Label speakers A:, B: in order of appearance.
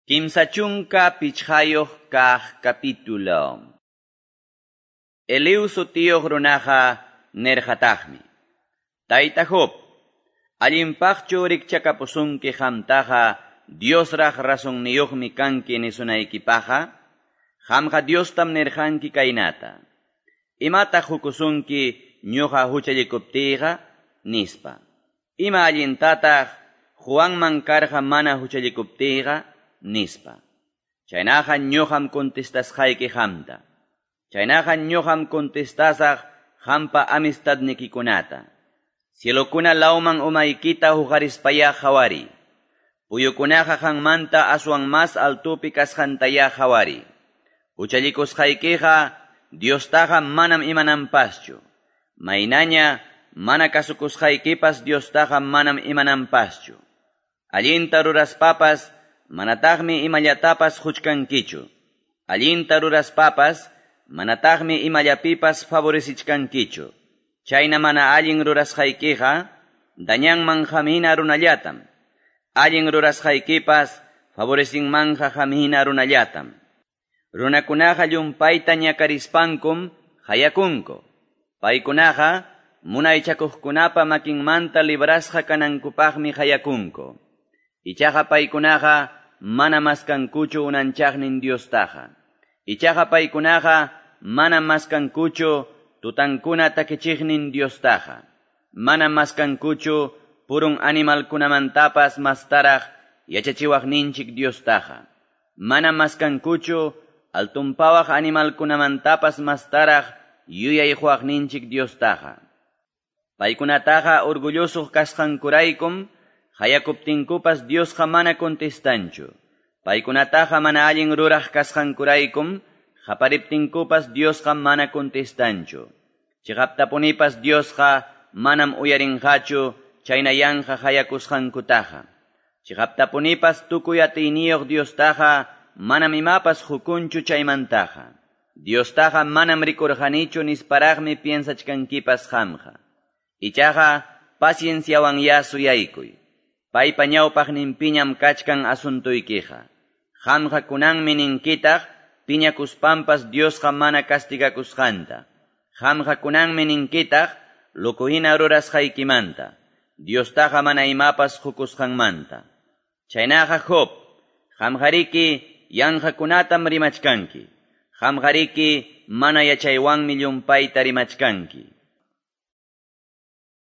A: 35 kaq capítulo. Eliú sutiyuq runaqa nirqataqmi: Tayta Job, allinpaqchu rikchakapusunki qamtaqa Diosraq razonniyuqmi kanki nisunaykipaqqa? Qamqa Diostam nirqanki kaynata: Imataq qukusunki ñuqa huchallikuptiyqa? Nispa. Ima allintataq Juanman karqa mana huchallikuptiyqa? Nispa. Chaynaqa ñuqam contestasqayki qamta. Chaynaqa ñuqam contestasaq qampa amistadnikikunata. Cielokuna lawman umaykita huqarispayá qhawariy. Puyukunaqa qanmanta aswan mas altupi kasqantayá qhawariy. Huchallikusqaykiqa Diostaqa manam imananpaschu. Maynaña mana kasukusqaykipas Diostaqa manam imananpaschu. Allinta ruraspapas manataqmi imallatapas huchkankichu. Allinta ruraspapas manataqmi imallapipas favorecichkankichu. Chayna mana allin rurasqaykiqa dañanman qamhina runallatam. Allin rurasqaykipas favorecinmanja qamhina runallatam. Runakunaqa llumpayta ñakarispankum qayakunku. Paykunaqa munaychakuqkunapa makinmanta librasqa kanankupaqmi qayakunku. Ichaqa paykunaqa mana maskankuchu unanchaqnin Diostaqa. Ichaqa paykunaqa mana maskankuchu tutankuna takichiqnin Diostaqa. Mana maskankuchu purun animalkunamantapas mastaraq yachachiwaqninchik Diostaqa. Mana maskankuchu altunpawaq animalkunamantapas mastaraq yuyayquwaqninchik Diostaqa. Paykunataqa orgulloso kasqankuraykum qayakuptinkupas Diosqa mana contestanchu. Paykunataqa mana allin ruraq kasqankuraykum qapariptinkupas Diosqa mana contestanchu. Chiqaptapunipas Diosqa manam uyarinqachu chayna yanqa qayakusqankutaqa. Chiqaptapunipas tukuy atiyniyuq Diostaqa manam imapas hukunchu chaymantaqa. Diostaqa manam rikurqanichu nisparaqmi piensachkankipas qamqa. Ichaqa pacienciawanyá suyaykuy. Paypa ñawpaqninpiñam kachkan asuntuykiqa. Qamqa kunanmi ninkitaq piñakuspampas Diosqa mana castigakusqanta. Qamqa kunanmi ninkitaq loco hina rurasqaykimanta. Diostaqa mana imapas hukusqanmanta. Chaynaqa Job, qamqariki yanqakunatam rimachkanki. Qamqariki mana yachaywanmi llumpayta rimachkanki.